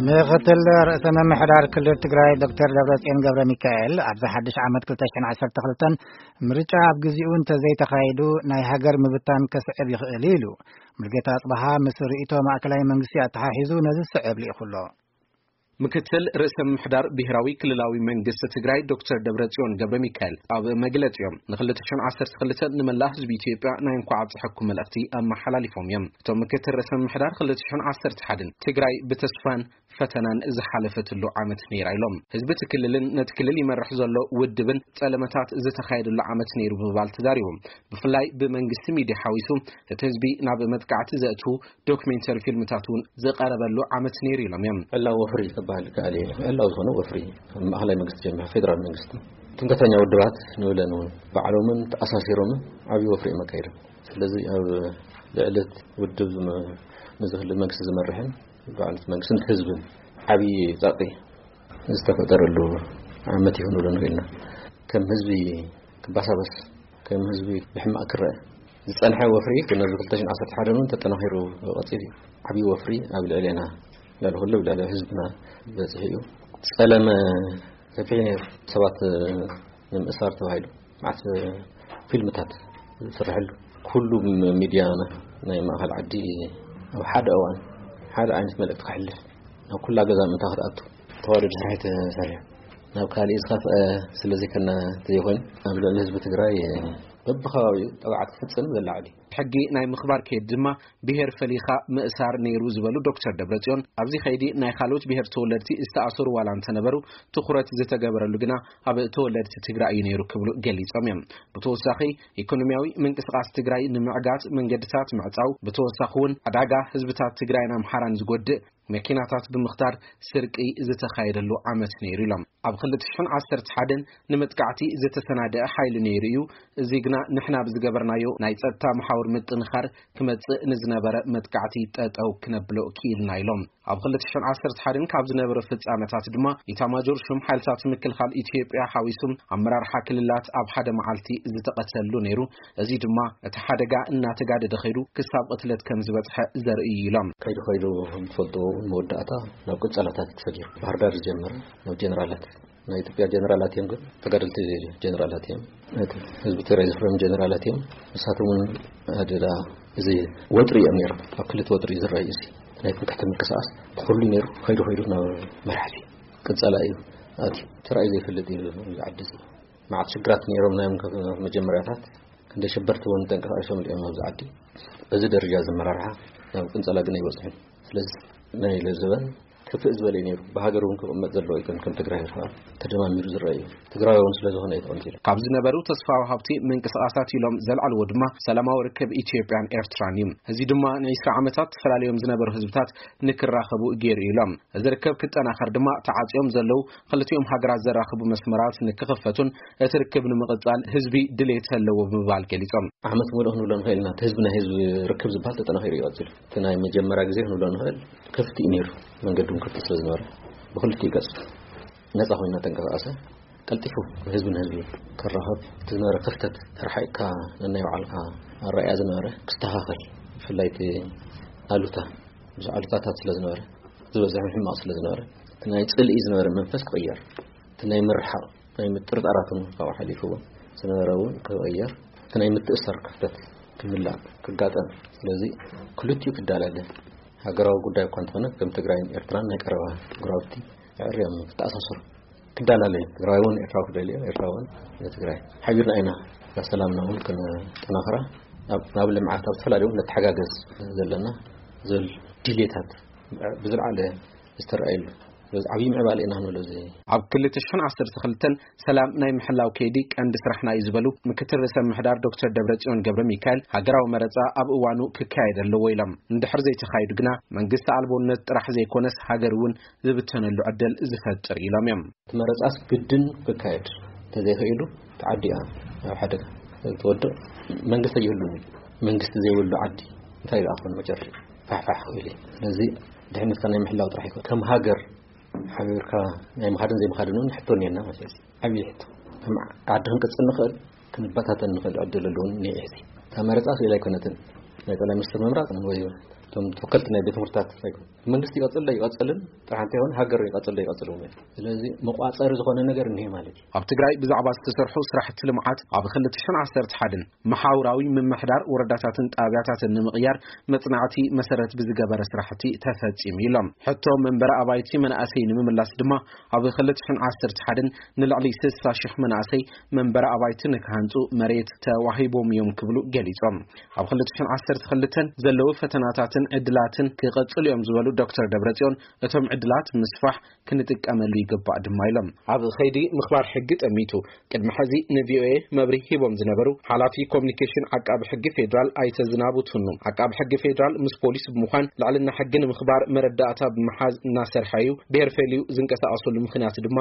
ምክትል ርእሰ ምምሕዳር ክልል ትግራይ ዶክተር ደብረጽዮን ገብረ ሚካኤል፣ ኣብዚ ሓድሽ ዓመት ክልተ ሽሕን ዓሰርተ ክልተን ምርጫ ኣብ ግዚኡ እንተዘይተኻይዱ ናይ ሃገር ምብታን ከስዕብ ይኽእል ኢሉ። ሙልጌታ ኣጽበሃ ምስ ርእይቶ ማእከላይ መንግስቲ ኣተሓሒዙ ነዚ ዝስዕብ ልኢኹ ኣሎ። ምክትል ርእሰ ምምሕዳር ብሔራዊ ክልላዊ መንግስቲ ትግራይ ዶክተር ደብረጽዮን ገብረ ሚካኤል ኣብ መግለጺኦም፣ ን ክልተ ሽሕን ዓሰርተ ክልተን ንመላእ ህዝቢ ኢትዮጵያ ናይ እንኳዕ ኣብፀሐኩም መልእኽቲ ኣመሓላሊፎም እዮም። እቶም ምክትል ርእሰ ምምሕዳር፣ ክልተ ሽሕን ዓሰርተ ሓደን ትግራይ ብተስፋን ፈተናን ዝሓለፈትሉ ዓመት ነይራ ኢሎም። ህዝቢ እቲ ክልልን ነቲ ክልል ይመርሕ ዘሎ ውድብን ጸለመታት ዝተኻየደሉ ዓመት ነይሩ ብምባል ተዛሪቦም። ብፍላይ ብመንግስቲ ሚድያ ሓዊሱ እቲ ህዝቢ ናብ መጥቃዕቲ ዘእትዉ ዶክሜንተሪ ፊልምታት እውን ዝቐረበሉ ዓመት ነይሩ ኢሎም እዮም። ዕላዊ ወፍሪ ክበሃል ይከኣል እዩ። ዕላዊ ዝኾነ ወፍሪ፣ ማእኸላይ መንግስቲ ጀሚሩ ፌደራል መንግስቲ፣ ትምክሕተኛ ውድባት ንብለን እውን ባዕሎምን ተኣሳሲሮምን ዓብዪ ወፍሪ እዮም ኣካይዶም። ስለዚ ኣብ ልዕሊ ውድብ ዝመ-፣ ንዝህሉ መንግስቲ ዝመርሕን በዓል መንግስትን ህዝብን ዓብዪ ጸቕጢ ዝተፈጠረሉ ዓመት ይኹን ንብሎ ንኽእል ኢና። ከም ህዝቢ ክባሳበስ፣ ከም ህዝቢ ብሕማቕ ክረአ ዝጸንሐ ወፍሪ ግን ኣብዚ ክልተ ሽሕን ዓሰርተ ሓደን እውን ተጠናኺሩ ቀጺሉ እዩ። ዓብዪ ወፍሪ ኣብ ልዕሌና፣ ልዕሊ ኩሉ ኣብ ልዕሊ ህዝብና በጺሑ እዩ። ጸለመ ሰፊሕ ነይሩ። ሰባት ንምእሳር ተባሂሉ መዓት ፊልምታት ዝስርሐሉ፣ ኩሉ ሚድያ ናይ ማእኸል ዓዲ ኣብ ሓደ እዋን ሓደ ዓይነት መልእክቲ ከሕልፍ፣ ናብ ኩላ ገዛ ምእንታ ክትኣቱ ተዋደድ ስራሕ ተሰሪሑ። ናብ ካሊእ ዝኸፍአ ስለዘይኮነ ተዘይኮይኑ፣ ኣብ ልዕሊ ህዝቢ ትግራይ በብኸባቢኡ ጠባዓት ክፍጽም ዘላዕል እዩ። ሕጊ ናይ ምኽባር ከይዲ ድማ ብሄር ፈሊኻ ምእሳር ነይሩ ዝበሉ ዶክተር ደብረጽዮን፣ ኣብዚ ከይዲ ናይ ካልኦት ብሄር ተወለድቲ ዝተኣሰሩ ዋላ እንተነበሩ፣ ትኹረት ዝተገበረሉ ግና ኣብ ተወለድቲ ትግራይ እዩ ነይሩ ክብሉ ገሊጾም እዮም። ብተወሳኺ፣ ኢኮኖሚያዊ ምንቅስቓስ ትግራይ ንምዕጋት መንገድታት ምዕጻው፣ ብተወሳኺ እውን ዕዳጋ ህዝብታት ትግራይን ኣምሓራን ዝጎድእ መኪናታት ብምኽታር ስርቂ ዝተኻየደሉ ዓመት ነይሩ ኢሎም። ኣብ ክልተ ሽሕን ዓሰርተ ሓደን ንመጥቃዕቲ ዝተሰናደአ ሓይሊ ነይሩ እዩ፣ እዚ ግና ንሕና ብዝገበርናዮ ናይ ጸጥታ መሓውር ምጥንኻር ክመጽእ ንዝነበረ መጥቃዕቲ ጠጠው ክነብሎ ክኢልና ኢሎም። ኣብ ክልተ ሽሕን ዓሰርተ ሓደን ካብ ዝነበሩ ፍጻመታት ድማ ኢታማጆር ሹም ሓይልታት ምክልኻል ኢትዮጵያ ሓዊሱ ኣመራርሓ ክልላት ኣብ ሓደ መዓልቲ ዝተቐተሉ ነይሩ። እዚ ድማ እቲ ሓደጋ እናተጋደደ ከይዱ ክሳብ ቅትለት ከም ዝበጽሐ ዘርኢ እዩ ኢሎም። ከይዱ ከይዱ፣ ከም ትፈልጥዎ እውን መወዳእታ ናብ ቅጸላታት ተሰጊሩ። ባህር ዳር ዝጀመረ ናብ ጀነራላት፣ ናይ ኢትዮጵያ ጀነራላት እዮም፣ ግን ተጋደልቲ ጀነራላት እዮም። እቲ ህዝቢ ትግራይ ዘፍረዮም ጀነራላት እዮም። ንሳቶም እውን ኣደዳ እዚ ወጥሪ እዮም ነይሮም። ኣብ ክልተ ወጥሪ እዩ ዝረኣዩ። እዚ ናይ ትምክሕቲ ምንቅስቃስ ብኩሉ ነይሩ። ከይዱ ከይዱ ናብ መራሕቲ ቅጸላ እዩ ኣትዩ። ተራእዩ ዘይፈልጥ እዩ እዚ ዓዲ እዚ። መዓት ሽግራት ነይሮም ናይ መጀመርያታት። ክንደይ ሸበርቲ እውን ተንቀሳቒሶም እዮም ኣብዚ ዓዲ። በዚ ደረጃ እዚ ኣመራርሓ ናብ ቅንጸላ ግን ኣይበጽሑን። ስለዚ ናይ ለዘበን ክፍእ ዝበለ እዩ ነይሩ። ብሃገር እውን ክቕመጥ ዘለዎ ኣይኮን፣ ከም ትግራይ ይርኣ ተደማሚሩ ዝረአ እዩ። ትግራይ እውን ስለ ዝኾነ እዩ ተቐንጺሉ። ካብ ዝነበሩ ተስፋ ወሃብቲ ምንቅስቓሳት ኢሎም ዘልዓልዎ ድማ ሰላማዊ ርክብ ኢትዮጵያን ኤርትራን እዩ። እዚ ድማ ንዒስራ ዓመታት ተፈላለዮም ዝነበሩ ህዝብታት ንክራኸቡ ገይሩ ኢሎም። እዚ ርክብ ክጠናኸር ድማ ተዓጽዮም ዘለዉ ክልቲኦም ሃገራት ዘራኽቡ መስመራት ንክኽፈቱን እቲ ርክብ ንምቕጻል ህዝቢ ድሌት ኣለዎ ብምባል ገሊጾም። ዓመት ሙሉእ ክንብሎ ንኽእል ኢና። እቲ ህዝቢ ናይ ህዝቢ ርክብ ዝበሃል ተጠናኺሩ እዩ ቀጺሉ። እቲ ናይ መጀመርያ ግዜ ክንብሎ ንኽእል ክፍቲ እዩ ነይሩ። መንገዲ እውን ክፍቲ ስለ ዝነበረ ብክልቲኡ ገጽ ነጻ ኮይና ተንቀሳቐሰ። ቀልጢፉ ህዝቢ ንህዝቢ ክራኸብ እቲ ዝነበረ ክፍተት ተረሓኢቕካ ነናይ ባዕልካ ኣረኣእያ ዝነበረ ክስተኻኸል፣ ብፍላይ እቲ ኣሉታ፣ ብዙሕ ኣሉታታት ስለ ዝነበረ፣ ዝበዝሕ ሕማቕ ስለ ዝነበረ፣ እቲ ናይ ጽልኢ ዝነበረ መንፈስ ክቕየር፣ እቲ ናይ ምርሓቕ ናይ ምጥርጣራት እውን ካብኡ ሓሊፉ እውን ዝነበረ እውን ክቕየር፣ እቲ ናይ ምትእስሳር ክፍተት ክምላእ ክጋጠም። ስለዚ ክልቲኡ ክዳላለ ሃገራዊ ጉዳይ እኳ እንተኾነ፣ ከም ትግራይን ኤርትራን ናይ ቀረባ ጎረባብቲ ኣዕርዮም ክተኣሳሰሩ ክዳላለ እዩ። ትግራይ እውን ኤርትራዊ ክደልዮ፣ ኤርትራ እውን ንትግራይ። ሓቢርና ኢና እዛ ሰላምና እውን ክነጠናኽራ፣ ናብ፣ ናብ ልምዓት፣ ኣብ ዝተፈላለዩ እውን ነተሓጋገዝ ዘለና ዝብል ድሌታት ብዝለዓለ ዝተረኣየሉ። ስለዚ ዓብዪ ምዕባለ ኢና ክንብሎ እዚ። ኣብ ክልተ ሽሕን ዓሰርተ ክልተን ሰላም ናይ ምሕላው ከይዲ ቀንዲ ስራሕና እዩ ዝበሉ ምክትል ርእሰ ምምሕዳር ዶክተር ደብረጽዮን ገብረ ሚካኤል፣ ሃገራዊ መረጻ ኣብ እዋኑ ክካየድ ኣለዎ ኢሎም። እንድሕር ዘይተኻይዱ ግና መንግስቲ ኣልቦነት ጥራሕ ዘይኮነስ ሃገር እውን ዝብተነሉ ዕድል ዝፈጥር ኢሎም እዮም። እቲ መረጻስ ግድን ክካየድ እንተዘይኽኢሉ፣ እቲ ዓዲ እያ ኣብ ሓደጋ ትወድቕ። መንግስቲ ኣይህሉን እዩ። መንግስቲ ዘይብሉ ዓዲ እንታይ ደኣ ክኾን መጨረሻ? ፋሕፋሕ ክብል እዩ። ስለዚ ድሕነትካ ናይ ምሕላው ጥራሕ ይኮን። ከም ሃገር ሓቢርካ ናይ ምኻድን ዘይምኻድን እውን ሕቶ እኒአና ማለት እዩ። ዓብዪ ሕቶ። ከም ዓዲ ክንቅጽል ንኽእል፣ ክንበታተን ንኽእል ዕድል እውን እኒአ እዩ። እታ መረጻ ስኢላ ኣይኮነትን። ናይ ጠቅላይ ሚኒስትር ምምራጽ ወይ ተወከልቲ ናይ ቤት ትምህርትታት ኣይኮኑ። መንግስቲ ይቐጽል ዶ ይቐጽልን ጥራሕ እንተይኮነ ሃገር ይቐጽል ዶ ይቐጽል እውን። ስለዚ መቋጸሪ ዝኾነ ነገር እኒሄ ማለት እዩ። ኣብ ትግራይ ብዛዕባ ዝተሰርሑ ስራሕቲ ልምዓት ኣብ ክልተ ሽሕን ዓሰርተ ሓደን መሓውራዊ ምምሕዳር ወረዳታትን ጣብያታትን ንምቕያር መጽናዕቲ መሰረት ብዝገበረ ስራሕቲ ተፈጺሙ ኢሎም። ሕቶ መንበሪ ኣባይቲ መናእሰይ ንምምላስ ድማ ኣብ ክልተ ሽሕን ዓሰርተ ሓደን ንልዕሊ ስሳ ሽሕ መናእሰይ መንበሪ ኣባይቲ ንክሃንጹ መሬት ተዋሂቦም እዮም ክብሉ ገሊጾም። ኣብ ክልተ ሽሕን ዓሰርተ ክልተን ዘለዉ ፈተናታትን ዕድላትን ክቐጽሉ እዮም ዝበሉ ዶክተር ደብረጽዮን፣ እቶም ዕድላት ምስፋሕ ክንጥቀመሉ ይግባእ ድማ ኢሎም። ኣብ ኸይዲ ምኽባር ሕጊ ጠሚቱ ቅድሚ ሕዚ ንቪኦኤ መብርሂ ሂቦም ዝነበሩ ሓላፊ ኮሚኒኬሽን ዓቃቢ ሕጊ ፌዴራል ኣይተ ዝናቡ ትኑ፣ ዓቃቢ ሕጊ ፌዴራል ምስ ፖሊስ ብምዃን ልዕልና ሕጊ ንምኽባር መረዳእታ ብምሓዝ እናሰርሐ እዩ፣ ብሄር ፈልዩ ዝንቀሳቐሰሉ ምኽንያት ድማ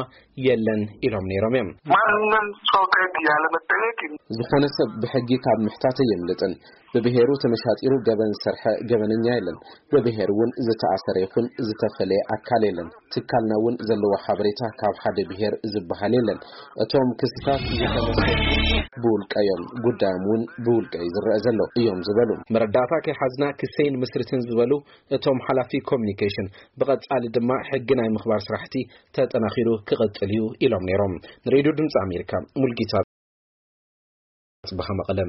የለን ኢሎም ነይሮም እዮም። ማንም ሰው ከህግ ያለመጠየቅ ዝኾነ ሰብ ብሕጊ ካብ ምሕታት የምልጥን። ብብሄሩ ተመሻጢሩ ገበን ዝሰርሐ ገበነኛ የለን። ብብሄር እውን ዝተኣሰረ ይኹን ዝተፈለየ ኣካል የለን። ትካልና እውን ዘለዎ ሓበሬታ ካብ ሓደ ብሄር ዝበሃል የለን። እቶም ክስታት ዝተመሰሉ ብውልቀ እዮም፣ ጉዳዮም እውን ብውልቀ እዩ ዝረአ ዘሎ እዮም ዝበሉ። መረዳእታ ከይሓዝና ክሰይን ምስርትን ዝበሉ እቶም ሓላፊ ኮሚኒኬሽን፣ ብቐጻሊ ድማ ሕጊ ናይ ምኽባር ስራሕቲ ተጠናኺሩ ክቐጽል እዩ ኢሎም ነይሮም። ንሬድዮ ድምፂ ኣሜሪካ ሙልጌታ ጽበኻ መቐለ።